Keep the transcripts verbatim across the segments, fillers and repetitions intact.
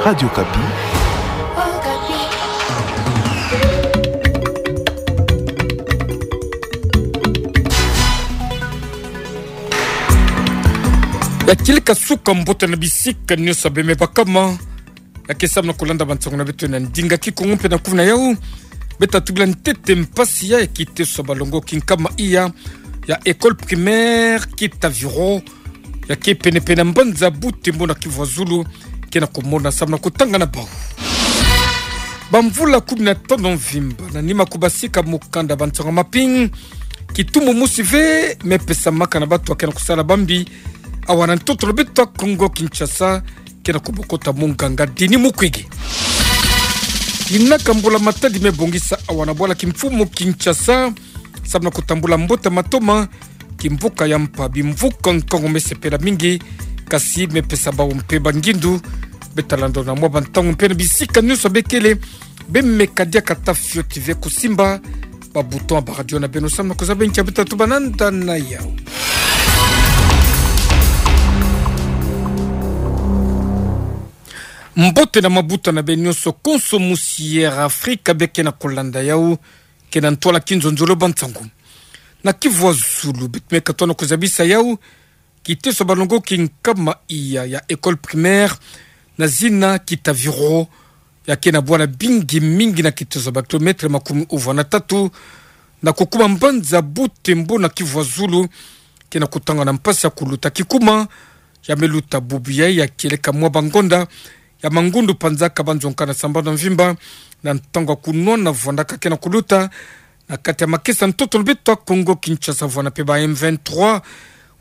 Radio Okapi. Ya kieleka suka mbote na bisika nyonso bemebakama. Ya ke samu na kulanda bansango na beto na ndinga Kikongo mpe na kuvuna yau. Beta tubila ntete mpasi ya kiteso ya balongoki nkama iya ya école primaire Kitaviro, ya ke pene-pene na mbanza Butembo na Kivu ya Zulu, ke na kumona samu na kutanga na bau. Bamvula kumi na tanu mvimba na nima kubasika mukanda bansango mapi, kitumu mosi ve mepesamaka na batu ya ke na kusala bambi awa na ntoto na beto ya Kongo Kinshasa, ke na kubokota munganga Denis Mukwege. Inaka mbula-matadi mebongisa awa na bwala kimfumu Kinshasa, samu na kutambula mbote matoma, kimvuka ya mpa bimvuka nkangu mesepela mingi, kasi mepesa bau mpe bangindu. Beta landa na mwa bantangu mpe na bisika nyonso bekele, bemeka diaka ata fioti ve kusimba ba bouton ya ba radio na beno samu na kuzaba ntia beta tuba nanda na yau. Mbote na mabuta na beno nyonso konso musi Air Afrika be ke na kulanda yau, ke na ntwala kinzonzolo bansango. Na Kivu ya Zulu beto meka tona kuzabisa yau, kiteso ya balongoki nkama iya ya école primaire na zina Kitaviro, ya ke na bwala bingi mingi na kiteso ya ba kilomètre makumi uvwa na tatu, na kukuma mbanza Butembo na Kivu ya Zulu, ke na kutanga na mpasi ya kuluta kikuma. Ya meluta bubu yai ya kieleka mwa bangonda ya mangundu panzaka banzo nkana sambanu mvimba, na ntangu ya kunwana vwandaka ke na kuluta na kati ya makesa ntoto na beto ya Kongo Kinshasa, vwana mpe ba M vingt-trois,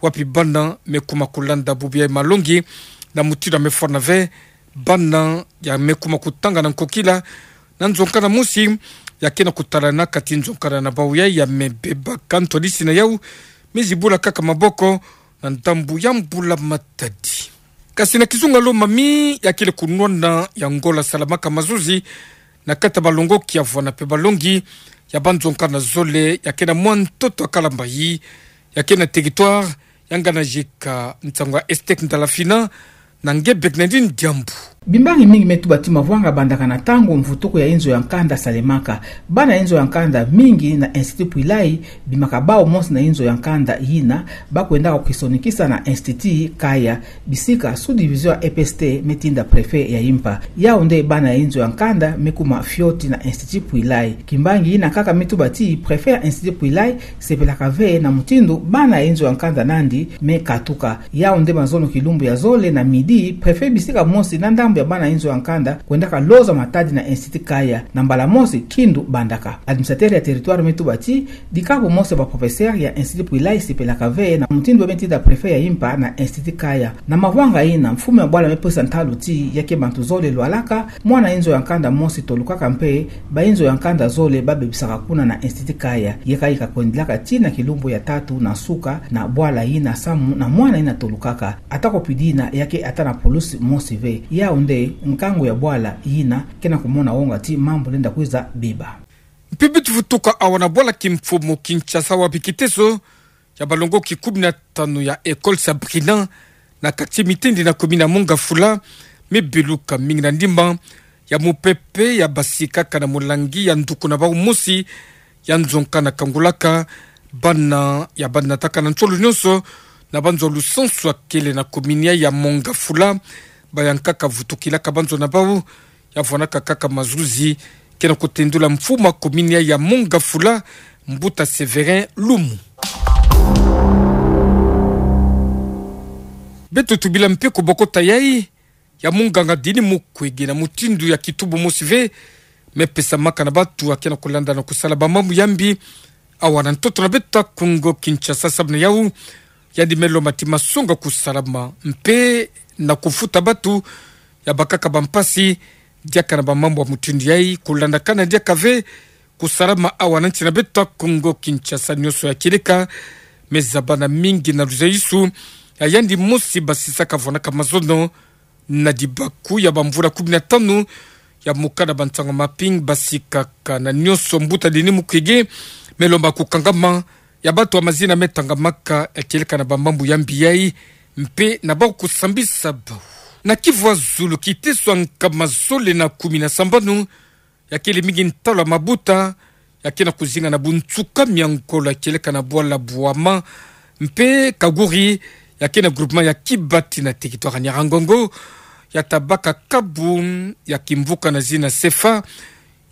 wapi bana mekuma kulanda bubu yai malongi, na mutindu ya mefwana ve bana ya mekuma kutanga na nkokila na nzo nkana mosi, ya ke na kutala na kati nzo nkana na bau yai ya mebeba. Ka ntwadisi na yau, mizibula kaka maboko na ndambu ya mbula-matadi. Kasi na kizunga Lomami, ya kele kunwana ya ngola salamaka mazuzi na kati ya balongoki ya vwana mpe balongi ya banzo nkana zole, ya ke na mwa ntoto ya Kalambay, ya ke na territoire ya ngana jika nsangu ya Estek Ndalafina, na nge bek na ndi ndiambu. Bimbangi mingi metuba ti mavwanga bandaka na ntangu mvutuku ya inzo ya nkanda salemaka. Bana inzo ya nkanda mingi na Institut Pwilay, bimaka bau mosi na inzo ya nkanda yina, bakwendaka kukisonikisa na Institut Kaya, bisika sous-division ya E P S T metinda préfet ya impa. Yau nde bana inzo ya nkanda mekuma fioti na Institut Pwilay. Kimbangi yina nkaka metuba ti préfet ya Institut Pwilay sepelaka ve na mutindu bana inzo ya nkanda nandi mekatuka. Yau nde mazono kilumbu ya zole na midi, préfet bisika mosi na ndambu ya bana inzo ya nkanda kwendaka loza matadi na Institut Kaya. Na mbala mosi, kindu bandaka. Administrateur ya territoire metuba ti dikabu mosi ya ba professeur ya Institut Pwilay sepelaka ve na mutindu bametinda préfet ya impa na Institut Kaya. Na mavwanga yina, mfumu ya bwala mepesa ntalu ti ya ke bantu zole lwalaka, mwana inzo ya nkanda mosi tolukaka mpe ba inzo ya nkanda zole babebisaka kuna na Institut Kaya. Yeka yeka kwendilaka tii na kilumbu ya tatu na nsuka na bwala yina samu na mwana yina tolukaka. Ata ko pidi yina, ya ke ata na pulusi mosi ve. Yau nde nkangu ya bwala yina ke na kumona wonga ti mambu lenda kwiza beba. Mpe beto vutuka awa na bwala kimfumu Kinshasa, wapi kiteso ya balongoki kumi na tanu ya école Sabrina na quartier Mitendi na commune ya Mont-Ngafula, mebeluka mingi na ndimba ya mupepe ya basikaka na mulangi ya nduku na bau mosi ya nzo nkana kangulaka bana ya banataka na nsolo nyonso na banzo lusansu ya kele na commune ya Mont-Ngafula. Bayankaka vutukilaka banzo na bau ya vwanaka kaka mazuzi, ke na kutendula mfumu ya commune ya Mont-Ngafula, Mbuta Sévérin Lumu. Beto tubila mpe kubokota yai ya munganga Denis Mukwege na mutindu ya kitubu mosi ve mepesamaka na batu ya ke na kulanda na kusala bamambu ya mbi awa na ntoto na beto ya Kongo Kinshasa. Samu na yau, yandi melomba ti masonga kusalama mpe na kufuta batu ya bakaka bampasi diaka na bamambu ya mutindu yai, kulandakana diaka ve kusalama awa na nsi na beto ya Kongo Kinshasa. Nyonso ya kieleka mezabana mingi na luzaisu ya yandi mosi basisaka vwanaka mazono na dibaku ya bamvula kumi na tanu ya mukanda bansango mapi basikaka. Na nyonso, Mbuta Denis Mukwege melomba kukangama ya batu ya mazina metangamaka ya kieleka na bamambu ya mbi yai, mpe na bau kusambisa bau. Na Kivu ya Zulu, kiteso ya nkama zole na kumi na sambanu, ya kele mingi ntalu ya mabuta, ya ke na kuzinga na bunsukami ya ngolo ya kieleka na bwala Bouama, mpe Kaguri, ya ke na groupement ya Kibati na territoire ya Nyiragongo, ya tabaka kabu ya kimvuka na zina CFA,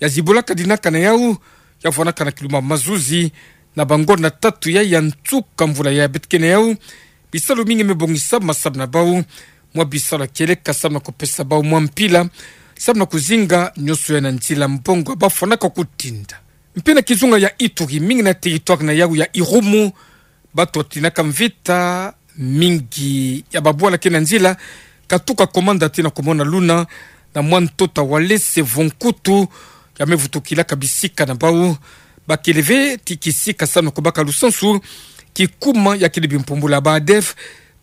ya zibulaka dinaka na yawu, ya vwanaka na kiluma mazuzi, na bangonda tatu ya, ya nsuka mvula ya beto ke na yawu, bisalu mingi me bongisama samu na bawu, mwa bisalu ya kieleka samu na kupesa bawu mwa mpila, samu na kuzinga nyonso ya na nzila mbongo ba fwanaka kutinda. Mpe na kizunga ya Ituri, mingi na territoire na yawu ya Irumu, bato tinaka mvita, mingi ya babwala ke na nzila, katuka komanda ti na kumona luna, na mwa ntoto ya Walese Vonkutu, ya me vutukilaka bisika na bawu, ba kele ve ti kisika samu na kubaka lusansu, kikuma ya kele bimpumbulu ya ba ADF,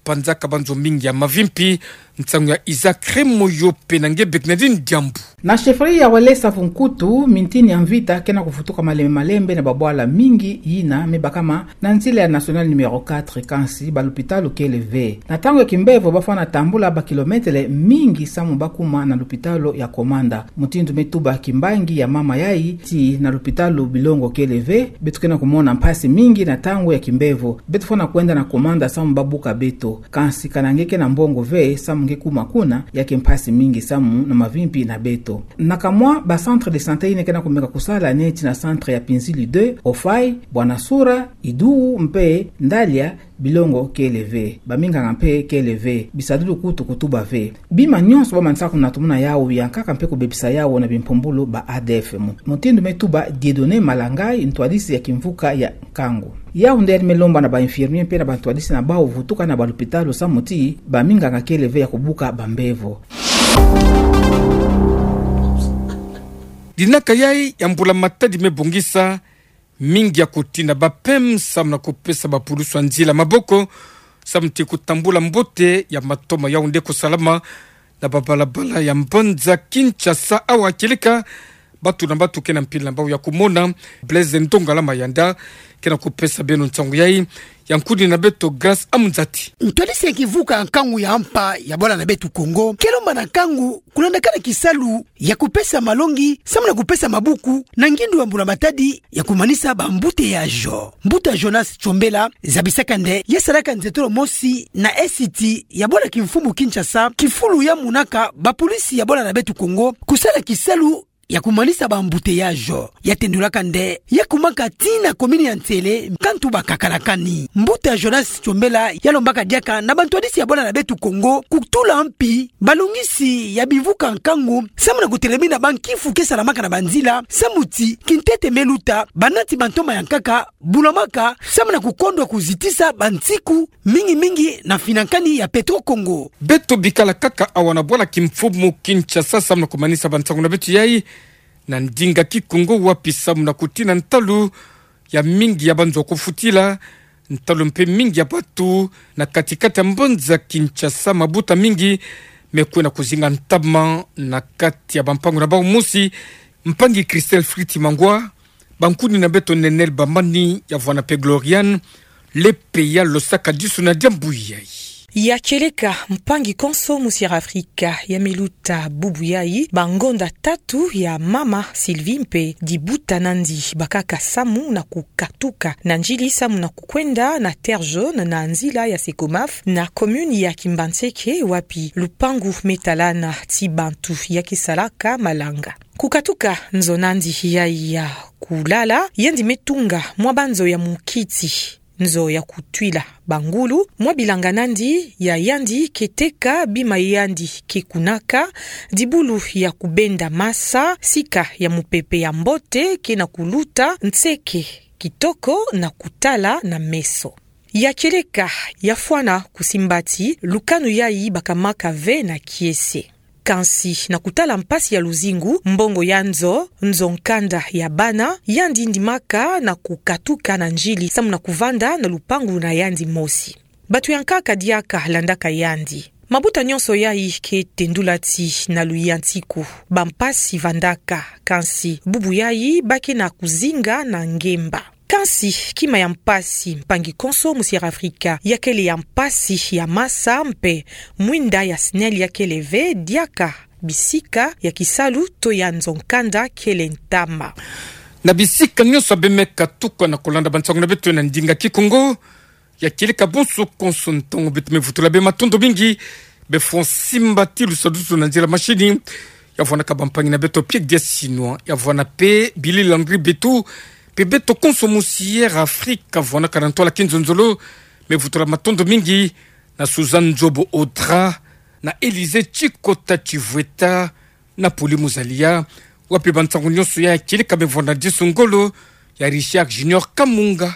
panzaka banzo mingi ya mavimpi, nsangu ya Isaac Remoyo mpe na nge Bernardine Diambu. Na chefferie ya Walesa Vonkutu, mintini ya mvita ke na kuvutuka malembe malembe na babwala mingi yina me bakama na nzila ya nationale numéro quatre, kansi ba lupitalu kele ve. Na ntangu ya kimbevo ba fwana tambula ba kilometele mingi samu ba kuma na lupitalu ya komanda. Mutindu me tuba kimbangi ya mama yayi ti na lupitalu bilongo kele ve, beto ke na kumona mpasi mingi na ntangu ya kimbevo. Beto fwana kwenda na komanda samu ba buka beto. Kansi kana nge ke na mbongo ve, samu nge kuma kuna, ya ke mpasi mingi samu na mavimpi na beto. Na kamwa ba centre de santé yina ke na kumeka kusala neti na centre ya Pinzili deux, Ofai, Bwanasura, Idou mpe Ndalia, bilongo kele ve. Baminganga mpe kele ve. Bisadulu kutu kutuba ve. Bima nyonso ba manisaka kunatumuna yawu, yankaka mpe kubebisa yawu na bimpumbulu ba ADF. Mu-, mutindu me tuba Dieudonné Malangai, ntwadisi ya kimvuka ya nkangu. Yawu nde yandi me lomba na ba infirmier mpe na bantwadisi na bawu vutuka na ba lupitalu samu ti baminganga kele ve ya kubuka bambevo. Dinaka yayi ya mbula matadi me bongisa mingi ya kutinda ba pem samu na kupesa bapulusu ya nzila maboko, samu ti kutambula mbote ya matoma yawu nde kusalama na babalabala ya mbanza Kinshasa, awa kieleka bato na bato ke na mpila na bawu ya kumona. Blaise Ndongala Mayanda ke na kupesa beno nsangu yayi, ya nkuni na beto Grace Amzati. Ntwadisi ya kimvuka nkangu ya mpa ya bwala na beto Kongo ke lomba na nkangu kulandakana kisalu ya kupesa malongi samu na kupesa mabuku na ngindu ya mbula matadi ya kumanisa ba embouteillages. Mbuta Jonas Tchombela zabisaka nde ya salaka nzietolo mosi na Est ya bwala kimfumu Kinshasa, kifulu ya monaka bapolisi ya bwala na beto Kongo kusala kisalu ya kumanisa ba embouteillages. Ya tendulaka nde ya kumaka tii na commune ya Nsele, kantu bakakalakani. Mbuta Jonas Tchombela ya lombaka diaka na bantwadisi ya bwala na beto Kongo kutula mpi balongisi ya bimvuka nkangu samu na kutelemina bankifu ke salamaka na banzila, samu ti kintete me luta, banati bantoma ya nkaka bulamaka samu na kukondwa kuzitisa bansiku, mingi mingi na finankani ya Petro Congo. Beto bikala kaka awa na bwala kimfumu Kinshasa samu na kumanisa bansangu na beto yayi na ndinga Kikongo, wapi samu na kutina ntalu ya mingi ya banzo kufutila, ntalu mpe mingi ya bato na kati-kati ya mbanza Kinshasa, mabuta mingi me kwe na kuzinga ntama na kati ya bampangu na bawu mosi. Mpangi Christelle Friti Mangwa, bankuni na beto Nenel Bamani, ya vwana mpe Gloriane Lepeya, losaka disu na diambu yayi. Ya kieleka, mpangi konso mu Sierra Afrika, ya me luta bubu yayi bangonda tatu ya mama Sylvie mpe dibuta nandi bakaka samu na kukatuka na njili samu na kukwenda na Terre Jaune na nzila ya Secomaf na commune ya Kimbanseke, wapi lupangu me talana ti bantu ya ke salaka malanga. Kukatuka nzo nandi yayi ya kulala, yandi me tunga mwa banzo ya mukiti, nzo ya kutwila bangulu, mwa bilanga nandi ya yandi ke teka bima yandi ke kunaka, dibulu ya kubenda masa, sika ya mupepe ya mbote ke na kuluta, nseke kitoko na kutala na meso. Ya kieleka, ya fwana kusimbati lukanu yayi bakamaka ve na kiese. Kansi na kutala mpasi ya luzingu, mbongo ya nzo, nzo nkanda ya bana, yandi ndimaka na kukatuka na njili samu na kuvanda na lupangu na yandi mosi. Bato ya nkaka diaka landaka yandi. Mabuta nyonso yayi ke tendula ti na luyantiku bampasi vandaka, kansi bubu yayi ba ke na kuzinga na ngemba. Kansi, kima ya mpasi, mpangi konso musi Air Africa yakele ya mpasi ya masa mpe mwinda ya SNEL yakele ve diaka bisika ya kisalu to ya nzo nkanda kele ntama. Na bisika nyonso bemeka tuka na kolanda bansangu na beto na ndinga Kikongo, ya kieleka bonso konso ntangu beto me vutula bê matondo mingi, bê Francis Mbati Lusadusu na nzila mashini, ya vwanaka bampangi na beto Pierre Diasinwa, ya vwana pe Billy Landry Betu, pe beto konso musi Air Africa, vwanaka na ntwala kinzonzolo, me vutula matondo mingi, na Suzanne Nzobo Audra, na Élysée Chikota Chivweta, na Poli Muzalia, wapi bansangu nyonso ya kieleka me vwanda disu ngolo, ya Richard Junior Kamunga.